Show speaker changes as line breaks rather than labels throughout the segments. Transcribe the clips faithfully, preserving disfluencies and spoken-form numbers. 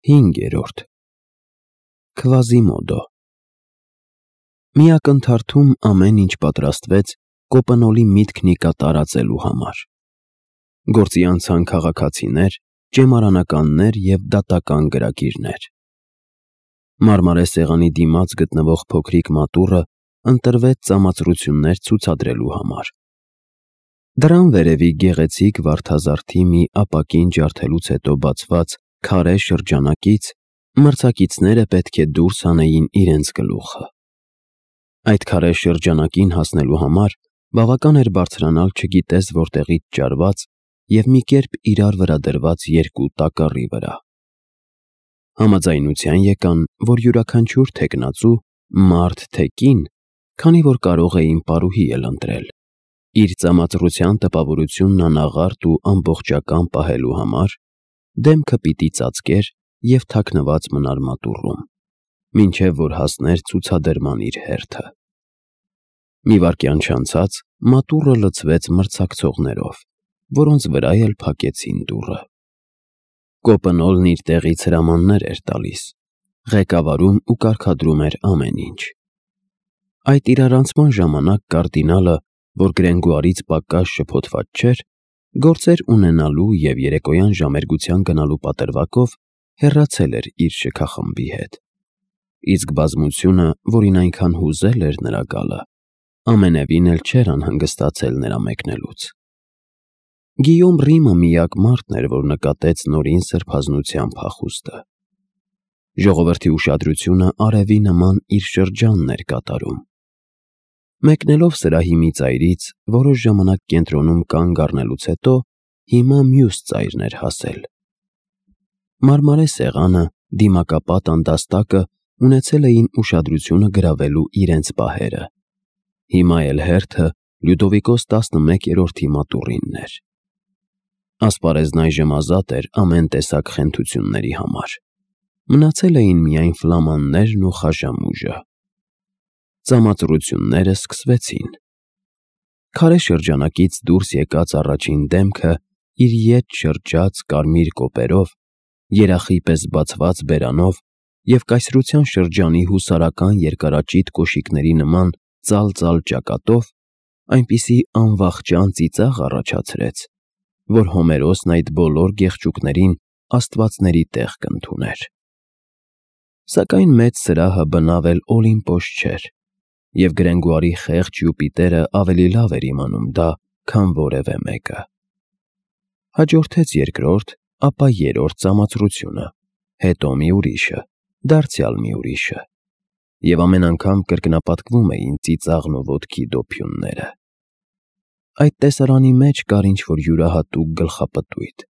Հինգերորդ Քվազիմոդո Մի ակնթարթում ամեն ինչ պատրաստվեց Կոպնոլի միտքն ի կատարածելու համար։ Գործի անցան քաղաքացիներ, ճեմարանականներ և դատական գրագիրներ։ Մարմարե սեղանի դիմաց գտնվող փոքրիկ մատուռը ընտրվեց ծամացրություններ ցուցադրելու համար։ Դռան վերևի գեղեցիկ վարդազարդի մի ապակին ջարդելուց հետո բացված քարե շրջանակից մրցակիցները պետք է դուրս հանեին իրենց գլուխը։ Այդ քարե շրջանակին հասնելու համար բավական էր բարձրանալ չգիտես որտեղից ճարված և մի կերպ իրար վրա դրված երկու տակառի վրա։ Համաձայնության եկան, որ յուրաքանչյուր թեկնածու, մարդ թե կին, քանի որ կարող էին պարուհի էլ ընտրել, իր ծամածռության տպավորությունն անաղարտ ու ամբողջական պահելու համար, դեմքը պիտի ծածկեր և թաքնված մնար մատուռում, մինչև որ հասներ ցուցադրման իր հերթը։ Մի վայրկյան չանցած մատուռը լցվեց մրցակցողներով, որոնց վրա էլ փակեցին դուռը։ Կոպնոլն իր տեղից հրամաններ էր տալիս, ղեկավարում ու կարգադրում էր ամեն ինչ։ Այդ իրարանցման ժամանակ կարդինալը, որ Գրենգուարից պակաս շփոթված չէր, գործեր ունենալու և երեկոյան ժամերգության գնալու պատրվակով հեռացել էր իր շքախմբի հետ, իսկ բազմությունը, որին այնքան հուզել էր նրա գալը, ամենևին էլ չէր անհանգստացել նրա մեկնելուց։ Գիյոմ Ռիմը միակ մարդն էր, որ նկատեց նորին սրբազնության փախուստը։ Ժողովրդի ուշադրությունը արևի նման իր շրջանն էր կատարում։ Մեկնելով սրահի մի ծայրից, որոշ ժամանակ կենտրոնում կանգ առնելուց հետո, հիմա մյուս ծայրն էր հասել։ Մարմարե սեղանը, դիմակապատ անդաստակը ունեցել էին ուշադրությունը գրավելու իրենց պահերը։ Հիմա էլ հերթը Լյուդովիկոս տասնմեկերորդի մատուռինն էր։ Ասպարեզն այժմ ազատ էր ամեն տեսակ խենթությունների համար։ Մնացել էին միայն ֆլամաններն ու խաժամուժը։ Ծամածռությունները սկսվեցին։ Քարե շրջանակից դուրս եկած առաջին դեմքը իր ետ շրջած կարմիր կոպերով, երախի պես բացված բերանով և կայսրության շրջանի հուսարական երկարաճիտ կոշիկների նման ծալծալ ճակատով այնպիսի անվախճան ծիծաղ առաջացրեց, որ Հոմերոսն այդ բոլոր գեղջուկներին աստվածների տեղ կընդուներ։ Սակայն մեծ սրահը բնավ էլ Օլիմպոս չէր, և Գրենգուարի խեղճ Յուպիտերը ավելի լավ էր իմանում դա, քան որևէ մեկը։ Հաջորդեց երկրորդ, ապա երրորդ ծամածռությունը, հետո մի ուրիշը, դարձյալ մի ուրիշը, և ամեն անգամ կրկնապատկվում էին ծիծաղն ու ոտքի դոփյունները։ Այդ տեսարանի մեջ կար ինչ-որ յուրահատուկ գլխապտույտ,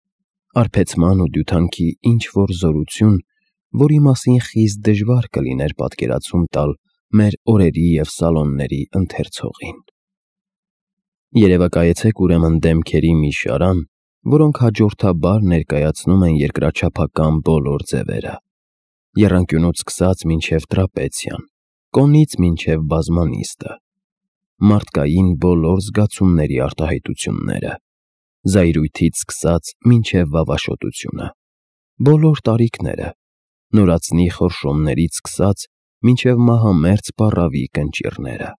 արբեցման ու դյութանքի ինչ-որ զորություն, որի մասին խիստ դժվար կլիներ պատկերացում տալ մեր օրերի և սալոնների ընթերցողին։ Երևակայեցեք ուրեմն դեմքերի մի շարան, որոնք հաջորդաբար ներկայացնում են երկրաչափական բոլոր ձևերը, եռանկյունուց սկսած մինչև տրապեցիան, կոնից մինչև բազմանիստը, մարդկային բոլոր զգացումների արտահայտությունները, զայրույթից սկսած մինչև վավաշոտությունը, բոլոր տարիքները, նորածնի խորշոմներից սկսած մինչև մահամերձ պառավի կնճիռները,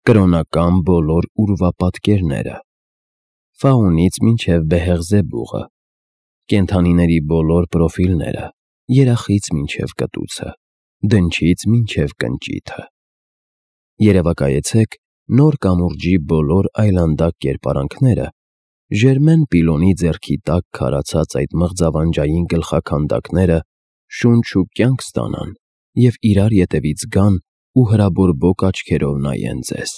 կրոնական բոլոր ուրվապատկերները, Ֆաունից մինչև Բեհեղզեբուղը, կենդանիների բոլոր պրոֆիլները, երախից մինչև կտուցը, դնչից մինչև կնճիթը։ Երևակայեցեք նոր կամուրջի բոլոր այլանդակ կերպարանքները, Ժերմեն Պիլոնի ձեռքի տակ քարացած այդ մղձավանջային գլխաքանդակները շունչ ու կյանք ստանան և իրար ետևից գան ու հրաբորբոք աչքերով նայեն ձեզ։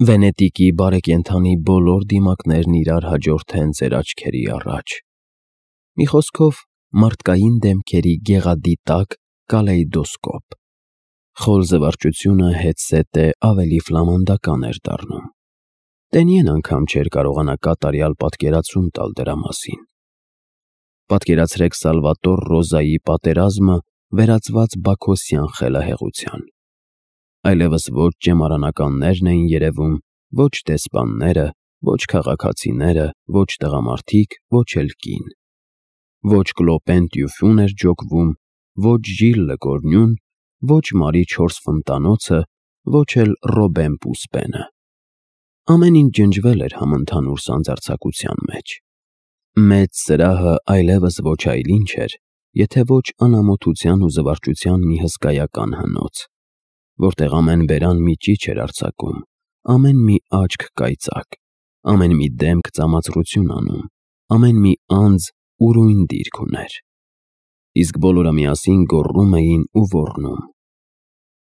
Վենետիկի բարեկենդանի բոլոր դիմակներն իրար հաջորդեն ձեր աչքերի առաջ։ Մի խոսքով, մարդկային դեմքերի գեղադիտակ կալեյդոսկոպ։ Խոր զվարճությունը հետզհետե ավելի ֆլամանդական էր դառնում։ Տենիեն անգամ չէր կարողանա կատարյալ պատկերացում տալ դրա մասին։ Պատկերացրեք Սալվատոր Ռոզայի պատերազմը վերածված բաքոսյան խելահեղության։ Այլևս ոչ ճեմարանականներն էին երևում, ոչ դեսպանները, ոչ քաղաքացիները, ոչ տղամարդիկ, ոչ էլ կին։ Ոչ Կլոպեն Տյուֆյուն էր ջոկվում, ոչ Ժիլ Լկորնյուն, ոչ Մարի չորս ֆնտանոցը, ոչ էլ Ռոբեն Պուսպենը։ Ամեն ինչ ջնջվել էր համընդհանուր սանձարձակության մեջ։ Մեծ սրահը այլևս ոչ այլ ինչ էր, եթե ոչ անամոթության ու զվարճության մի հսկայական հնոց, որտեղ ամեն բերան մի ճիչ էր արձակում, ամեն մի աչք կայծակ, ամեն մի դեմք ծամածրություն անում, ամեն մի անձ ուրույն դիրք ուներ։ Իսկ բոլորը միասին գոռում էին ու ոռնում։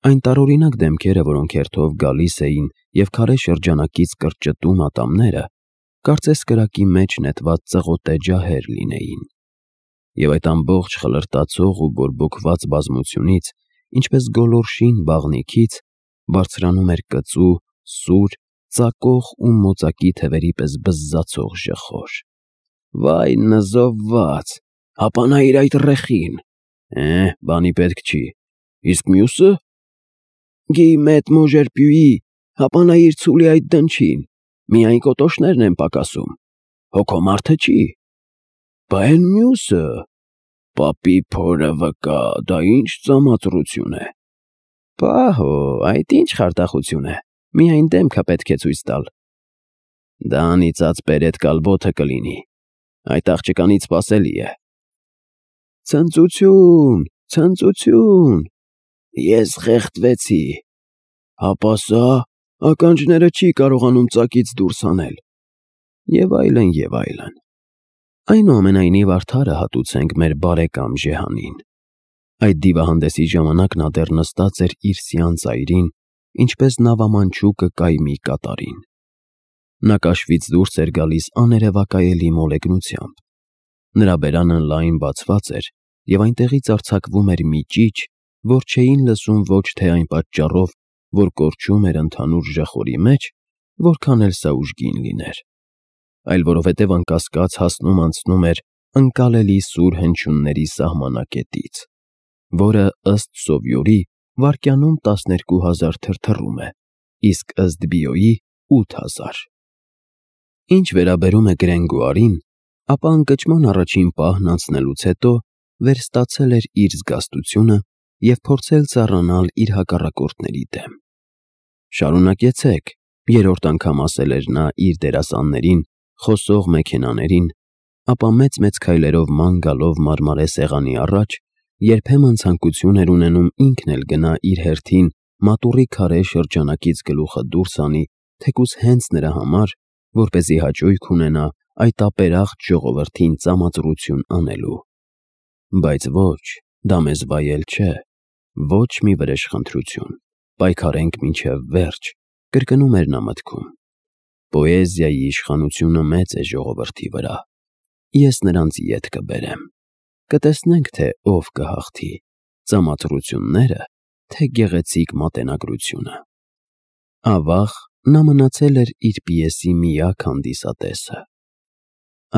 Այն տարօրինակ դեմքերը, որոնք հերթով գալիս էին և քարե շրջանակից կրճտում ատամները, կարծես կրակի մեջ նետված ծղոտե ջահեր լինեին։ Եվ այդ ամբողջ խլրտացող ու բորբոքված բազմությունից, ինչպես գոլորշին բաղնիքից, բարձրանում էր կծու, սուր, ծակող ու մոծակի թևերի պես բզզացող ժխոր։ Վայ նզովված, հապանայիր այդ ռեխին։ Է, բանի պետք չի։ Իսկ մյուսը։ Գի մետ մոժերպյուի, հապանայիր ցուլի այդ դնչին, միայն կոտոշներն են պակասում, հոգո մարդը չի։ Բա էն մյուսը։ Պապի փորը վկա, դա ինչ ծամածրություն է։ Պահո, այդ ինչ խարդախություն է, միայն դեմքը պետք է ցույց տալ։ Դա անիծած պերետ կալբոթը կլինի, այդ աղջկանից սպասելի է։ Ցնծություն, ցնծություն, ես խեղդվեցի, հապա սա ականջները չի կարողանում ծակից դուրս հանել։ Եվ այլն, և այլն։ Այնուամենայնիվ արդարը հատուցենք մեր բարեկամ Ժեհանին։ Այդ դիվահանդեսի ժամանակ նա դեռ նստած էր իր սյան ծայրին, ինչպես նավամանչուկը կայմի կատարին։ Նա կաշվից դուրս էր գալիս աներևակայելի մոլեգնությամբ։ Նրա բերանը լայն բացված էր, և այնտեղից արձակվում էր մի ճիչ, որ չէին լսում ոչ թե այն պատճառով, որ կորչում էր ընդհանուր ժխորի մեջ, որքան էլ սա ուժգին լիներ, այլ որովհետև անկասկած հասնում-անցնում էր ընկալելի սուր հնչյունների սահմանակետից, որը ըստ Սովյորի վայրկյանում տասներկու հազար թրթռում է, իսկ ըստ Բիոյի ութ հազար։ Ինչ վերաբերում է Գրենգուարին, ապա ընկճման առաջին պահն անցնելուց հետո վերստացել էր իր զգաստությունը և փորձել ծառանալ իր հակառակորդների դեմ։ Շարունակեցեք, երրորդ անգամ ասել էր նա իր դերասաններին, խոսող մեքենաներին, ապա մեծ-մեծ քայլերով ման գալով մարմարե սեղանի առաջ, երբեմն ցանկություն էր ունենում ինքն էլ գնա իր հերթին մատուռի քարե շրջանակից գլուխը դուրս հանի, թեկուզ հենց նրա համար, որպեսզի հաճույք ունենա այդ ապերախտ ժողովրդին ծամածրություն անելու։ Բայց ոչ, դա մեզ վայել չէ, ոչ մի վրեժխնդրություն, պայքարենք մինչև վերջ, կրկնում էր նա մտքում։ Պոեզիայի իշխանությունը մեծ է ժողովրդի վրա։ Ես նրանց ետ կբերեմ։ Կտեսնենք, թե ով կհաղթի, ծամածրությունները, թե գեղեցիկ մատենագրությունը։ Ավաղ նա մնացել էր իր պիեսի միակ հանդիսատեսը։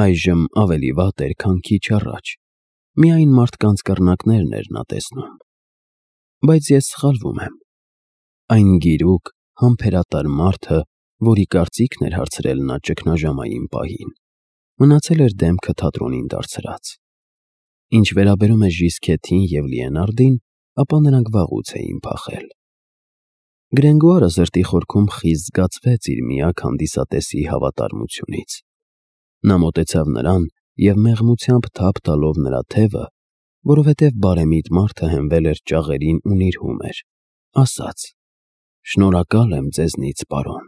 Այժմ ավելի վատ էր, քան քիչ առաջ, միայն մարդկանց կռնակներն էր նա տեսնում։ Բայց ես սխալվում եմ։ Այն գիրուկ, համբերատար մարդը, որի կարծիքն էր հարցրել նա ճգնաժամային պահին, մնացել էր դեմքը թատրոնին դարձրած։ Ինչ վերաբերում է Ժիսկեթին և Լիենարդին, ապա նրանք վաղուց էին փախել։ Գրենգուարը սրտի խորքում խիստ զգացվեց իր միակ հանդիսատեսի հավատարմությունից։ Նա մոտեցավ նրան և մեղմությամբ թափ տալով նրա թևը, որովհետև բարեմիտ մարդը հենվել էր ճաղերին ու նիրհում էր, ասաց. «Շնորհակալ եմ ձեզնից, պարոն»։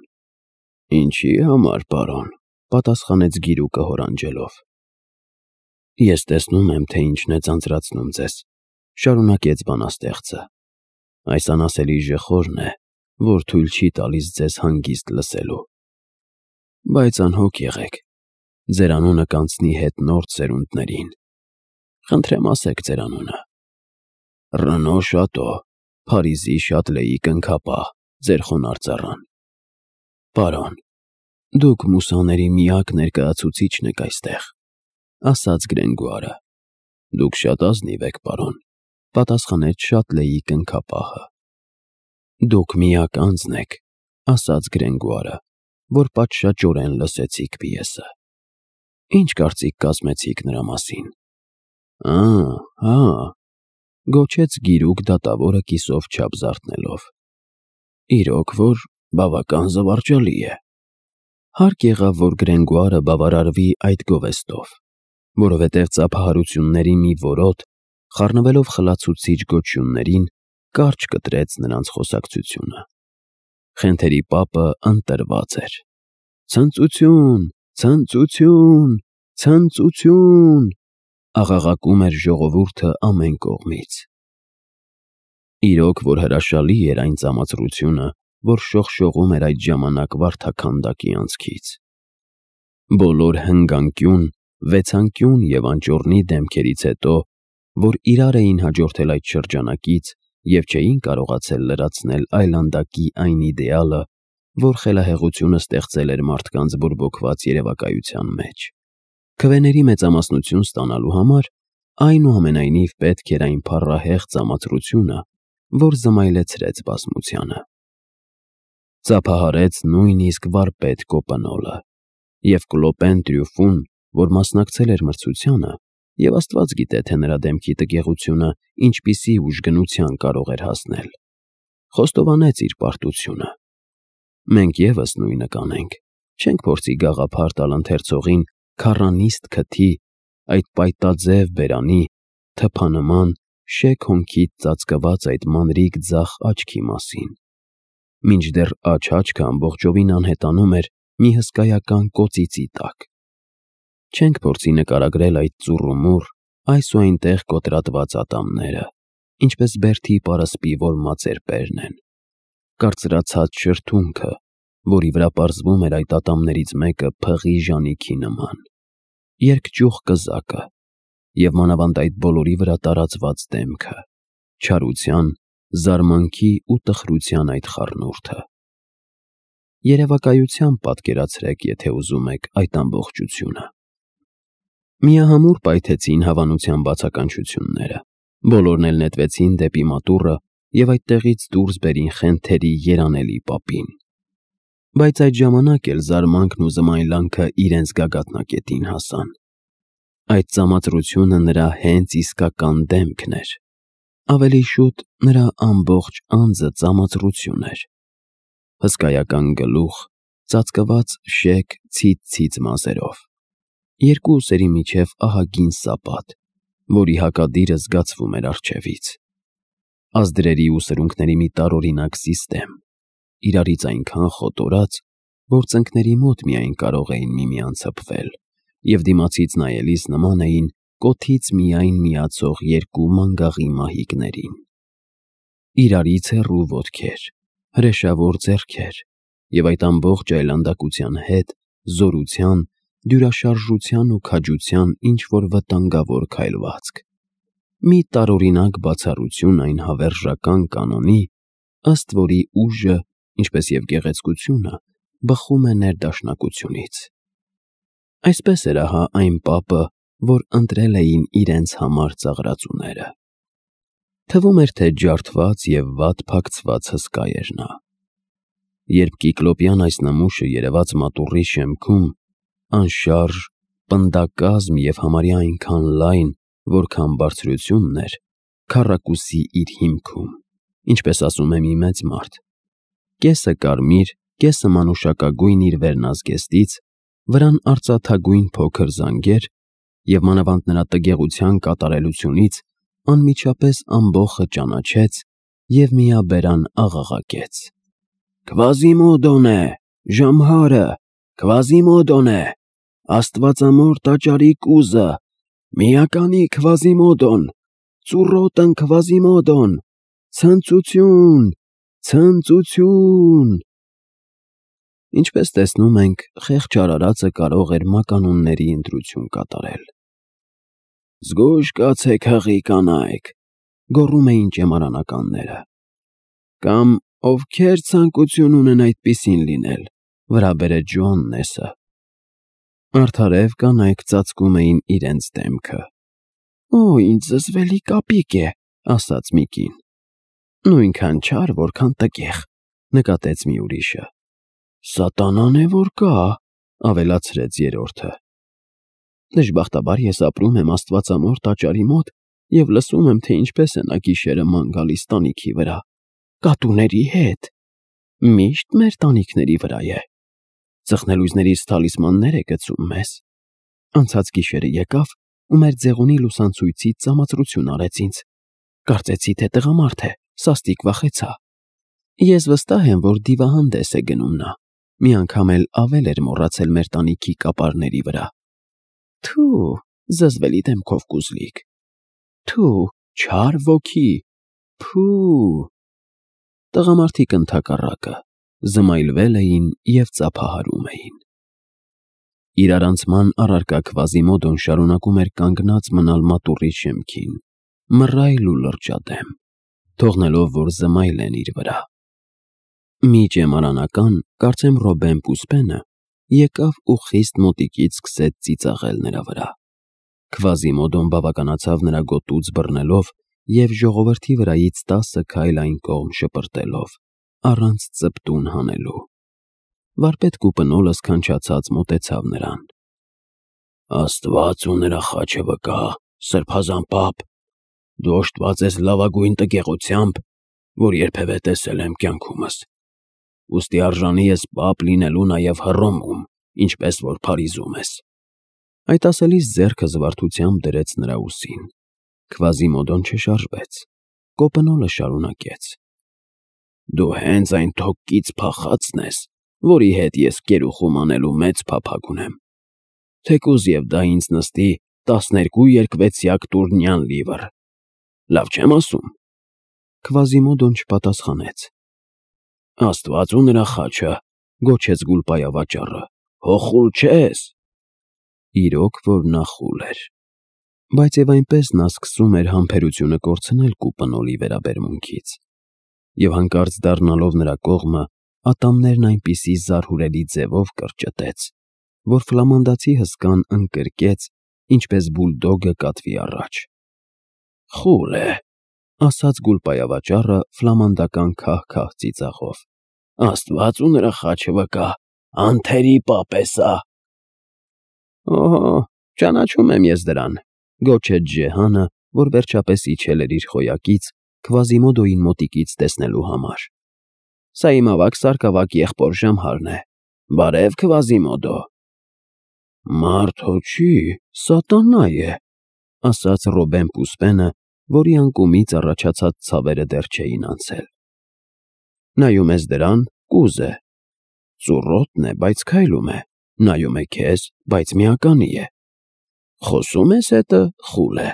«Ինչի համար, պարոն», պատասխանեց գիրուկը հորանջելով։ «Ես տեսնում եմ, թե ինչն է ձանձրացնում ձեզ», շարունակեց բանաստեղծը։ «Այս անասելի ժխորն է, որ թույլ չի տալիս ձեզ հանգիստ լսելու։ Բայց անհոգ եղեք, ձեր անունը կանցնի հետնորդ սերունդներին։ Խնդրեմ ասեք ձեր անունը։ Ռնո Շատո, Փարիզի Շատլեի կնքապահ, ձեր խոնարհ ծառան։ Պարոն, դուք մուսաների միակ ներկայացուցիչն եք այստեղ», ասաց Գրենգուարը։ «Դուք շատ ազնիվ եք, պարոն», պատասխանեց Շատլեի կնքապահը։ «Դուք միակ անձն եք», ասաց Գրենգուարը, որ պատշաճորեն լսեցիք պիեսը։ «Ինչ կարծիք կազմեցիք նրա մասին»։ Ա, հա, գոչեց գիրուկ դատավորը կիսով չափ զարթնելով։ Իրոք որ բավական զվարճալի է։ Հարկ եղավ, որ Գրենգուարը բավարարվի այդ գովեստով, որովհետև ծափահարությունների մի որոտ, խառնվելով խլացուցիչ գոչյուններին, կարճ կտրեց նրանց խոսակցությունը։ Խենթերի պապը ընտրված էր։ Ցնծություն, ցնծություն, ցնծություն, աղաղակում էր ժողովուրդը ամեն կողմից։ Իրոք որ հրաշալի էր այն ծամածրությունը, որ շողշողում էր այդ ժամանակ վարդաքանդակի անցքից։ Բոլոր հնգանկյուն, վեցանկյուն և անճոռնի դեմքերից հետո, որ իրար էին հաջորդել այդ շրջանակից և չէին կարողացել լրացնել այլանդակի այն իդեալը, որ խելահեղությունը ստեղծել էր մարդկանց բորբոքված երևակայության մեջ։ Քվեների մեծամասնություն ստանալու համար, այնուամենայնիվ պետք էր այն փառահեղ ծամածրությունը, որ զմայլեցրեց բազմությանը։ Ծափահարեց նույնիսկ վարպետ Կոպենոլը, և Կլոպեն Տրյուֆուն, որ մասնակցել էր մրցությանը, և Աստված գիտե, թե նրա դեմքի տգեղությունը ինչպիսի ուժգնության կարող էր հասնել, խոստովանեց իր պարտությունը։ Մենք ևս նույնը կանենք, չենք փորձի գաղափար տալ ընթերցողին քառանիստ քթի, այդ պայտաձև բերանի, թփանման, շեկ հոնքից ծածկված այդ մանրիկ ձախ աչքի մասին, մինչդեռ աջ-աչքը ամբողջովին անհետանում էր մի հսկայական կոծիծի տակ։ Չենք փորձի նկարագրել այդ ծուռումուռ, այս ու այնտեղ կոտրատված ատամները, ինչպես բերդի պարսպի, որ մածերպերն են, կարծրացած շրթունքը, որի վրա պարզվում էր այդ ատամներից մեկը փղի ժանիքի նման, երկճյուղ կզակը և մանավանդ այդ բոլորի վրա տարածված դեմքը, չարության, զարմանքի ու տխրության այդ խառնուրդը։ Երևակայությամբ պատկերացրեք, եթե ուզում եք, այդ ամբողջությունը։ Միահամուռ պայթեցին հավանության բացականչությունները, բոլորն էլ նետվեցին դեպի մատուռը և այդտեղից դուրս բերին Խենթերի երանելի պապին։ Բայց այդ ժամանակ էլ զարմանքն ու զմայլանքը իրենց գագաթնակետին հասան։ Այդ ծամածրությունը նրա հենց իսկական դեմքն էր, ավելի շուտ նրա ամբողջ անձը ծամածրություն էր։ Հսկայական գլուխ, ծածկված շեկ ցից-ցից մազերով, երկու ուսերի միջև ահագին սապատ, որի հակադիրը զգացվում էր առջևից, ազդրերի ու սրունքների մի տարօրինակ սիստեմ, իրարից այնքան խոտորած, որ ծնկների մոտ միայն կարող էին միմյանց հպվել և դիմացից նայելիս նման էին կոթից միայն միացող երկու մանգաղի մահիկներին։ Իրարից հեռու ոտքեր, հրեշավոր ձեռքեր և այդ ամբողջ այլանդակության հետ զորության, դյուրաշարժության ու քաջության ինչ-որ վտանգավոր քայլվածք։ Մի տարօրինակ բացառություն այն հավերժական կանոնի, ըստ որի ուժը, ինչպես և գեղեցկությունը, բխում է ներդաշնակությունից։ Այսպես էր ահա այն պապը, որ ընտրել էին իրենց համար ծաղրածուները։ Թվում էր, թե ջարդված և վատ փակցված հսկա էր նա։ Երբ կիկլոպյան այս նմուշը երևաց մատուռի շեմքում, անշարժ, պնդակազմ և համարյա այնքան լայն, որքան բարձրությունն էր, քառակուսի իր հիմքում, ինչպես ասում է մի մեծ մարդ, կեսը կարմիր, կեսը մանուշակագույն իր վերնազգեստից, վրան արծաթագույն փոքր զանգեր և մանավանդ նրա տգեղության կատարելությունից անմիջապես ամբոխը ճանաչեց և միաբերան աղաղակեց. «Քվազիմոդոն է, ժամհարը, Քվազիմոդոն է, աստվածամոր տաճարի կուզը, միականի Քվազիմոդոն, ծուռոտն Քվազիմոդոն, ցնծություն, ցնծություն»։ Ինչպես տեսնում ենք, խեղճ արարածը կարող էր մականունների ընտրություն կատարել։ «Զգույշ կացեք, հղի կանայք», գոռում էին ճեմարանականները։ Կամ ովքեր ցանկություն ունեն այդպիսին լինել, վրա բերեց Ջոաննեսը։ Արդարև կանայք ծածկում էին իրենց դեմքը։ «Օ, ինչ զզվելի կապիկ է», ասաց մի կին։ «Նույնքան չար, որքան տգեղ», նկատեց մի ուրիշը։ «Սատանան է որ կա», ավելացրեց երրորդը։ Դժբախտաբար ես ապրում եմ Աստվածամոր տաճարի մոտ և լսում եմ, թե ինչպես է նա գիշերը ման գալիս տանիքի վրա, կատուների հետ, միշտ մեր տանիքների վրա է, ծխնելույզներից թալիսմաններ է գցում մեզ, անցած գիշերը եկավ ու մեր ձեղունի լուսանցույցից ծամացրություն արեց ինձ, կարծեցի, թե տղամարդ է, սաստիկ վախեցա, ես վստահ եմ, որ դիվահանդես է գնում նա, մի անգամ էլ ավել էր մոռացել մեր տանիքի կապարների վրա, թու, զզվելի դեմքով կուզլիկ, թու, չար ոգի, փու… Տղամարդիկ ընդհակառակը, զմայլվել էին և ծափահարում էին։ Իրարանցման առարկա Քվազիմոդոն շարունակում էր կանգնած մնալ մատուռի շեմքին, մռայլ ու լրջադեմ, թողնելով, որ զմայլեն իր վրա։ Մի ճեմարանական, կարծեմ Ռոբեն Պուսպենը, եկավ ու խիստ մոտիկից սկսեց ծիծաղել նրա վրա։ Քվազիմոդոն բավականացավ նրա գոտուց բռնելով և ժողովրդի վրայից տասը քայլ այն կողմ շպրտելով, առանց ծպտուն հանելու։ Վարպետ Կուպնոլը սքանչացած մոտեցավ նրան. Աստված ու նրա խաչը վկա, սրբազան պապ, դու օժտված ես լավագույն տգեղությամբ, որ երբևէ տեսել եմ կյանքումս, ուստի արժանի ես պապ լինելու նաև Հռոմում, ինչպես որ Փարիզում ես։ Այդ ասելիս ձեռքը զվարթությամբ դրեց նրա ուսին։ Քվազիմոդոն չշարժվեց։ Կոպնոլը շարունակեց. Դու հենց այն թոկից փախածն ես, որի հետ ես կերուխում անելու մեծ փափագ ունեմ, թեկուզ և դա ինձ նստի տասներկու երկվեցյակ տուռնյան լիվր, լավ չեմ ասում։ Քվազիմոդոն չպատասխանեց։ Աստված ու նրա խաչը, գոչեց գուլպայավաճառը, հո խուլ չես։ Իրոք որ նա խուլ էր, բայց և այնպես նա սկսում էր համբերությունը կորցնել Կուպնոլի վերաբերմունքից, և հանկարծ դառնալով նրա կողմը, ատամներն այնպիսի զարհուրելի ձևով կրճտեց, որ ֆլամանդացի հսկան ընկրկեց, ինչպես բուլդոգը կատվի առաջ։ Խուլ է, ասաց գուլպայավաճառը ֆլամանդական քահ-քահ ծիծաղով, Աստված ու նրա խաչը վկա, անթերի պապ է սա։ Օհո, ճանաչում եմ ես դրան, գոչեց Ջեհանը, որ վերջապես իջել էր իր խոյակից Քվազիմոդոյին մոտիկից տեսնելու համար։ Սա իմ ավագ սարկավակ եղբոր Ժամհարն է, բարև Քվազիմոդո։ Մարդ հո չի, սատանա է, ասաց Ռոբեն Պուսպենը, որի անկումից առաջացած ցավերը դեռ չէին անցել։ Նայում ես դրան, կուզ է, ծուռոտն է, բայց քայլում է, նայում է քեզ, բայց միականի է, խոսում ես հետը, խուլ է,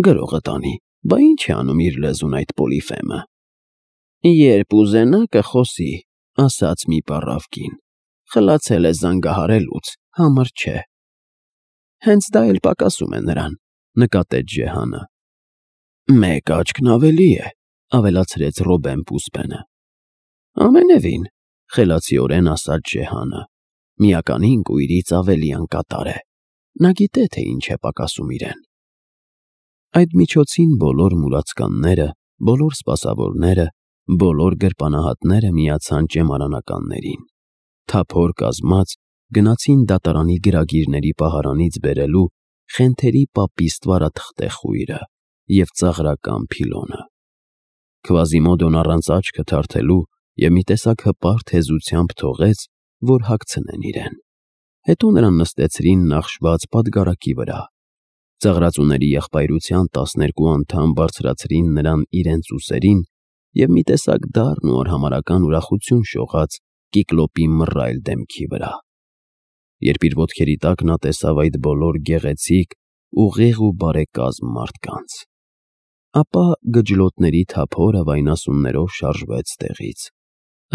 գրողը տանի, բա ինչ է անում իր լեզուն այդ Պոլիֆեմը։ Երբ ուզենա կխոսի, ասաց մի պառավ կին, խլացել է զանգահարելուց, համր չէ։ Հենց դա էլ պակասում է նրան, նկատեց Ջեհանը։ Մեկ աչքն ավելի է, ավելացրեց Ռոբեն Պուսպենը։ Ամենևին, խելացիորեն ասաց Ջեհանը, միականին կույրից ավելի անկատար է, նա գիտե, թե ինչ է պակասում իրեն։ Այդ միջոցին բոլոր մուրացկանները, բոլոր սպասավորները, բոլոր գրպանահատները միացան ճեմարանականներին, թափոր կազմած, գնացին դատարանի գրագիրների պահարանից բերելու Խենթերի պապի ստվարաթղթե խույրը և ծաղրական փիլոնը։ Քվազիմոդոն առանց աչքը թարթելու և մի տեսակ հպարտ հեզությամբ թողեց, որ հագցնեն իրեն։ Հետո նրան նստեցրին նախշված պատգարակի վրա։ Ծաղրածուների եղբայրության տասներկու անդամ բարձրացրին նրան իրենց ուսերին և մի տեսակ դառն ու արհամարհական ուրախություն շողաց Կիկլոպի մռայլ դեմքի վրա։ Երբ իր ոտքերի տակ նա տեսավ այդ բոլոր գեղեցիկ, ուղիղ ու բարեկազմ մարդկանց, ապա գջլոտների թափորը վայնասուններով շարժվեց տեղից,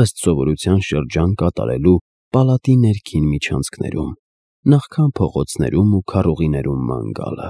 ըստ սովորության շրջան կատարելու պալատի ներքին միջանցքներում, նախքան փողոցներում ու քառուղիներում ման գալը։